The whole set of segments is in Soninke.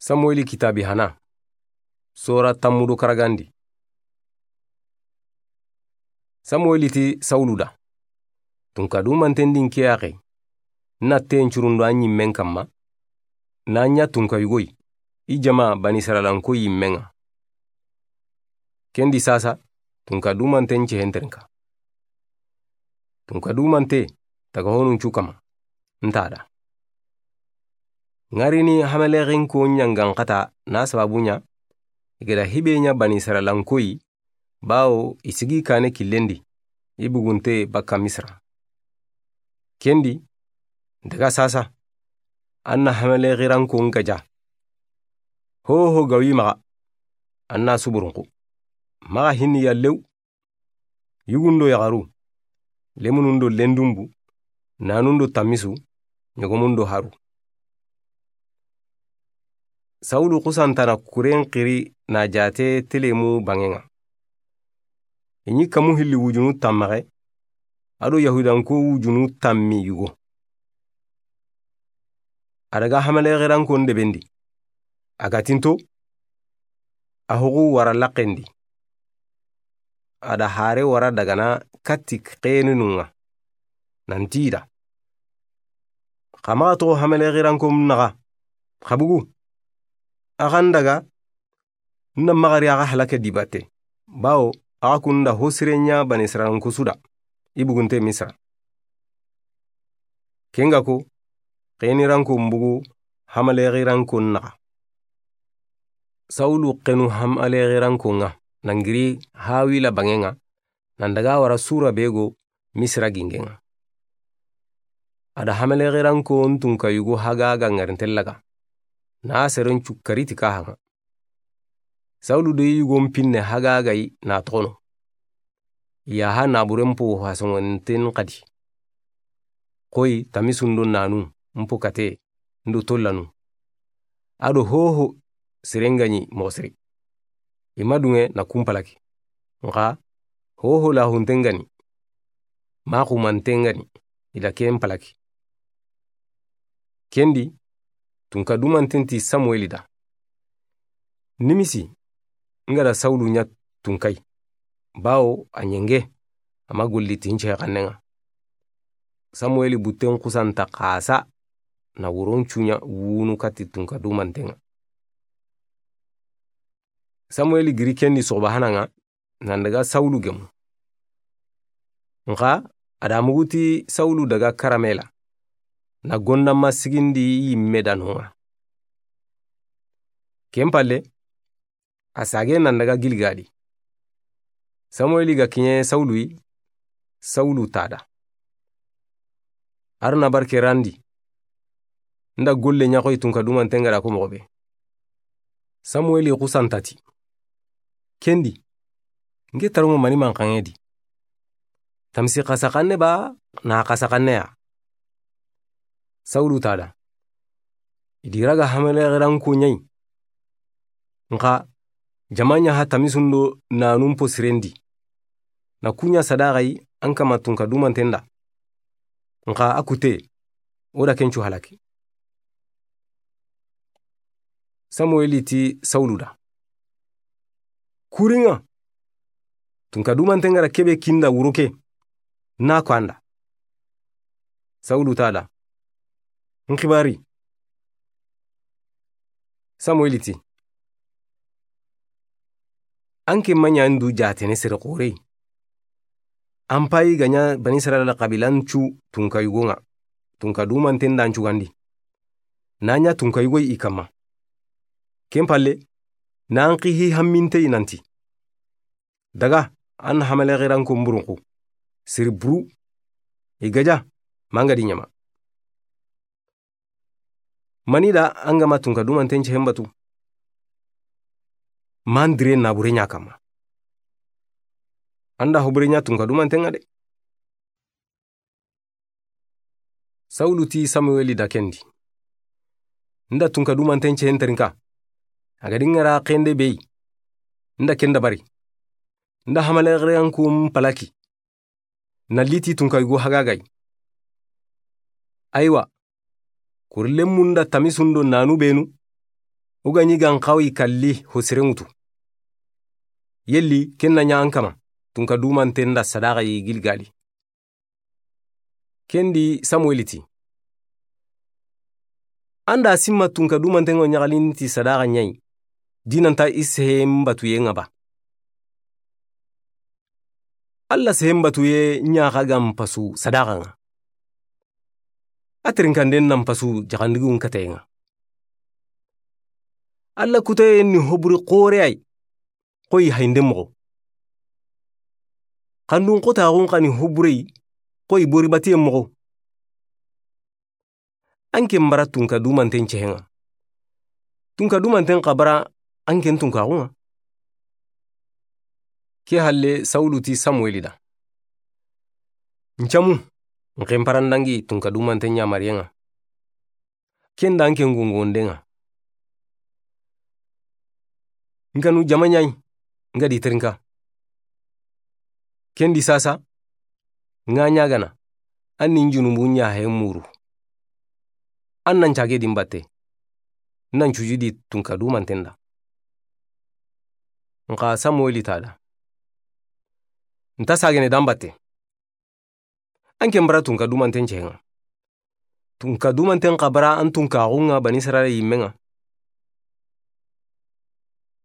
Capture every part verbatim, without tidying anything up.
Samuweli kitaabi hana. Sora tanmu do karagandi. Samuweli ti Sawulu da: Tunka dumanten di n ke yaxe, n na ten curundo a ɲimmen kanma, na ɲa tunka yugo yi, i jama Banisirayilanko yimmen ŋa. Ken di saasa, tunka dumanten cehen terinka. Tunka dumante taga honun cu kanma, n ta da. N ga ri ni Hamalexinko ɲangan xata na sababu ɲa, i ga da hibe ɲa Banisirayilanko yi, bawo i sigi kane killen di, i bugunte bakka Misira. Ken di, daga saasa, an na Hamalexirankon gaja. Hoho ga wi maxa, an na suburunku. Maxa hinni ya lew. Yugun do yaxaru, lemunun do lendunbu, nanun do tamisu, ɲogomun do haru. Sawulu xusanta na kuren xiri na jaate telemu banŋen ŋa. I ɲi kamu hilli wujunu tanmaxe, a do Yahudanko wujunu tanmi yugo. A daga Hamalexirankon deben di. A ga tinto, a hoxu wara laxen di. A da hare wara dagana katti xeninun ŋa. Nan ti i da: Xa maxa toxo Hamalexirankon naxa, xa bugu. A xa n daga, n na maxa ri a xa halake di batte. Bawo, a xa kun da ho sire ɲa Banisirayilanko su da, i bugunte Misira. Ken ga ko, xenirankon bugu Hamalexirankon naxa. Sawulu xenu Hamalexirankon ŋa, nan giri Hawila banŋen ŋa, nan daga wara sura be go Misira gingen ŋa. A da Hamalexirankon tunka yugo Hagaga ŋarinten laga, na seren cu kari ti kaha ŋa. Sawulu do i yugon pinne Hagaga yi na toxono. Yaha naburen po hasongonten xadi. Xoyi tamisun do nanu, n po kate, n do tollanu. A do hoho siren ga ɲi moxo siri. I ma dunŋe na kun palaki. Nxa hoho lahunten ga ni, ma xumanten ga ni, i da ken palaki. Ken di, tunka dumanten ti Samuweli da: Nimisi, n ga da Sawulu ɲa tunka yi, bawo a ɲenge, a ma golli ti n cehe xannen ŋa. Samuweli butten xusanta xasa, na wuron cu ɲa wunu katti tunka dumanten ŋa. Samuweli giri ken di soxoba hana ŋa, nan daga Sawulu gemu. Nxa a da mugu ti Sawulu daga karamela, na gondama sigindi yimme da no ŋa. Ken palle, a sage nan daga Giligali. Samuweli ga kiɲe Sawulu yi, Sawulu ta da: Arna barke randi. N da golle ɲa xoyi tunka dumanten ga da ko moxo be. Samuweli xusanta ti: Ken di, n ke taronŋo mani manxanŋe di? Tamisi xasa xanne ba, na xasa xanne ya? Sawulu ta da: I di raga Hamalexeranko ɲa yi. Nxa jama ɲa ha tamisun do nanun po siren di. Na ku ɲa sadaxa yi an kama tunka dumanten da. Nxa a kute, o da ken cu halaki. Samuweli ti Sawulu da: Kurinŋa, tunka dumanten ga da kebe kinda wuro ke, na ko an da. Sawulu ta da: N xibari. Samuweli ti: An ke ma ɲa n du jaatene sere xore yi. An payi ga ɲa Bani Israyila xabilan cu tunka yugon ŋa, tunka dumanten da n cugandi. Na ɲa tunka yugo yi i kama. Ken palle, na an xihi hamminte yi nanti: Daga, an Hamalexeranko mburunxu. Siri buru. I gaja, manga di ɲama. Mani da an ga ma tunka dumanten cehen batu? Man dire nabure ɲa kama. An da hobure ɲa tunka dumanten ŋa de. Sawulu ti Samuweli da ken di: N da tunka dumanten cehen terinka. A ga di n ŋara xende be yi. N da ken dabari. N da Hamalexeranko n palaki. Na liti tunka yugo hagaga yi. Aywa, kuri lemmun da tamisun do nanu benu, O ga ɲi ga n xawa i kalli ho sere ŋutu. Yelli ken na ɲa an kama tunka dumanten da sadaxa yi Gilgali? Ken di Samueli ti, an da sinma tunka dumanten ŋa ɲaxalin ti sadaxa ɲa yi, di na nta i sehen batuyen ŋa ba? Alla sehen batuye ɲa xa ga n pasu sadaxa ŋa. A tirinkanden na n pasu jaxandigun kateyen ŋa. Alla kuteye ni hoburi xoore yi, xoyi hayinde moxo. Xandun xotaxun xa ni hoburey, xoyi bori batiye moxo. An ken bara tunka dumanten cehen ŋa. Tunka dumanten xa bara an ken tunkaxun ŋa. Ke halle Sawulu ti Samueli da, n camu, n xenparandangi tunka dumanten ɲamariyen ŋa. Ken da n ken gongonden ŋa. N kanu jama ɲa yi, n ga di terinka. Ken di sasa, n ga ɲagana, an ni n junubu ɲa he muru. An na n cage di n batte, n na n cuju di tunka dumanten da. N xa Samueli ta da, n ta sagene da n batte. An ken bara tunka dumanten cehen ŋa. Tunka dumanten xa bara an tunkaxun ŋa Bani Israila yinmen ŋa.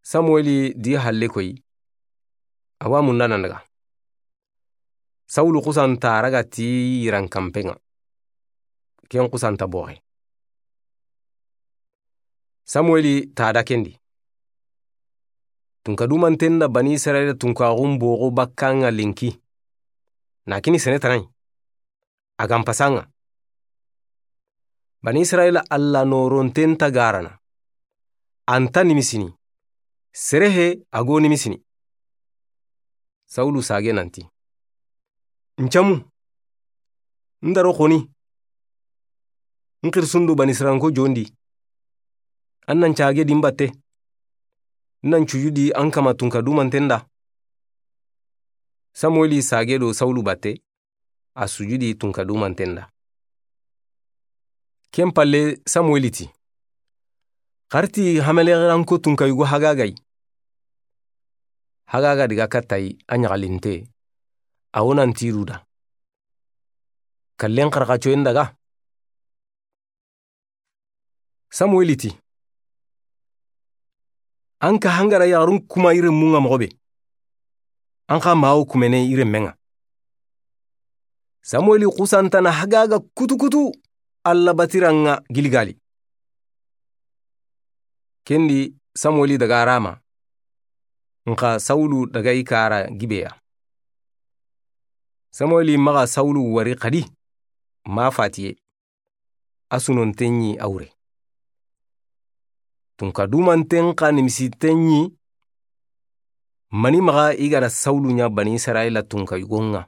Samueli di halle koyi, a wa munda nan daga. Sawulu xusanta raga ti yiran kanpen ŋa. Ken xusanta boxe. Samueli ta da ken di, tunka dumanten da Bani Israila tunkaxun boxo bakka ŋa lenki. Na kini sene tana yi, a ga n pasa ŋa. Bani Israila Alla noronten ta garana. A nta nimisini. Sere he a go nimisini. Sawulu sage nanti, n camu, n daro xoni, n xirisundo Bani Israilanko jondi. An na n cage di n batte, n na n cuju di an kama tunka dumanten da. Samueli sage do Sawulu batte, a sujudi tunka dumanten da. Ken palle Samueli ti, xarti hameleranko tunka yugo hagaga yi. Hagaga diga katta yi a ɲaxalinte, a wo nan tiru da. Kallen xarxacoyen daga. Samueli ti, an ka hangara yaxarun kuma i renmun ŋa moxo be, an xa mawo kumene i renmen ŋa. Samueli xusantana hagaga kutukutu Alla batiran ŋa Gilgali. Ken di Samueli daga Rama, n xa Sawulu daga i kara Gibeya. Samueli maxa Sawulu wari xadi, ma fatiye. A sunonten ɲi a wure. Tunka dumanten xa nimisiten ɲi, mani maxa i ga da Sawulu ɲa Bani Israila tunka yugon ŋa